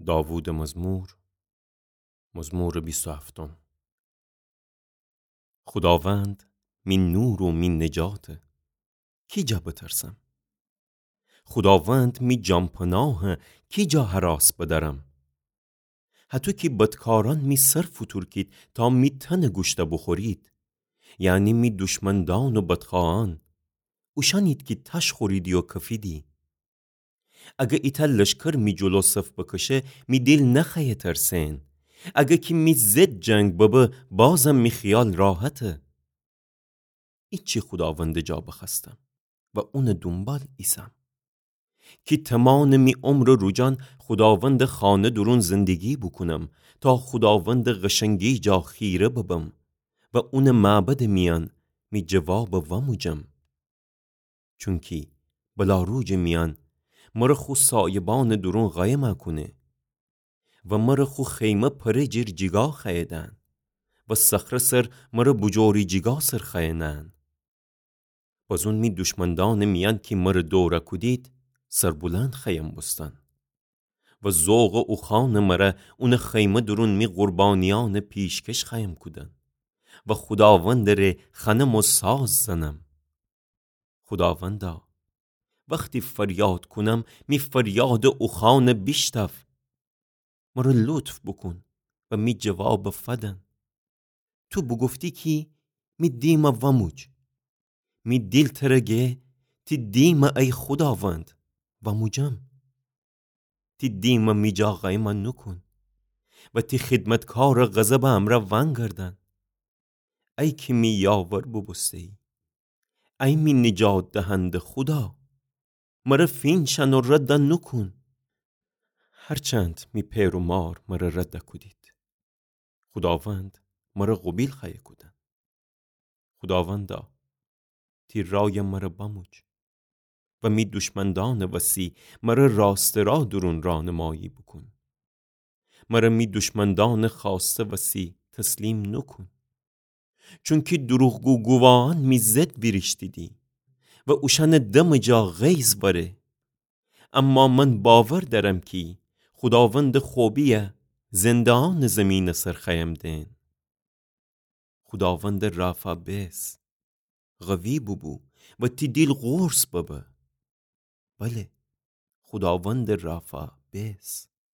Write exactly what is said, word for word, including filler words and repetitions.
داوودٚ مزمور، مزمورٚ بیست و هفتم. خوداوند می نور و می نجاته، کی جا بترسم؟ خوداوند می جانپناهه، کی جا هراس بدأرم؟ هطو کی بدکارأن می سر فوتورکید تا می تنه گوشته بوخورید، یعنی می دوشمندان و بدخواهأن، اوشأنید کی تاش خوریدی و کفیدی. اگه ایتأ لشکر می جلو صف بکشه، می دیل نخوأیه ترسئن. اگه کی می ضد جنگ ببه، بازم می خیال راحته. ایچی خوداوندٚ جا بخوأستم و اونٚ دونبال ایسم، کی تومانٚ می عمرٚ روجأن خوداوندٚ خانه دورون زندگی بوکونم، تا خوداوندٚ قشنگی جا خیره ببم و اونٚ معبدٚ میأن می جوابه وأموجم. چونکی بلا روجٚ میأن مره خو سایبانٚ دورون قایم کونه و مره خو خیمه پره جیر جیگا خوأیه دأن و صخره سر مره بوجوری جیگا سر خوأیه نأن. بزون می دوشمندانٚ میأن کی مره دوره کودید، سربلند خوأیم بوستن و ذوقٚ اوخوأنٚ مره اونٚ خیمه دورون می قربانیأنٚ پیشکش خوأیم کودن و خوداوندٚ ره خنم و ساز زنم. خوداوندا، وختی فریاد کونم، می فریادٚ اوخوأنه بیشتاو. مره لطف بوکون و می جوابه فدن. تو بوگفتی کی می دیمه وأموج. می دیل تره گه، تی دیمه ای خوداوند، وأموجم. تی دیمه می جا قایمه نوکون و تی خدمتکارٚ غضبٚ امرأ وأنگردن. ای کی می یاور بوبوسته‌یی، ای می نجات دهنده خودا، مره فینشأن و رد نوکون. هرچند می پئر و مار مره رد کودید، خوداوند مره قوبیل خوأیه کودن. خوداوندا، تی رای مره بأموج و می دوشمندانٚ وسی مره راستٚ را دورون رانمایی بوکون. مره می دوشمندانٚ خوأسته وسی تسلیم نوکون. چونکی دروغگو گوواهأن می ضد ویریشتیدی و اوشأنٚ دمٚ جا غیظ وأره. اما من باور دأرم کی خوداوندٚ خوبیه زنده‌یأنٚ زیمینٚ سر خوأیم دئن. خوداوندٚ رافا بئس، قوی بوبو و تی دیل قرص ببه. بله، خوداوندٚ رافا بئس.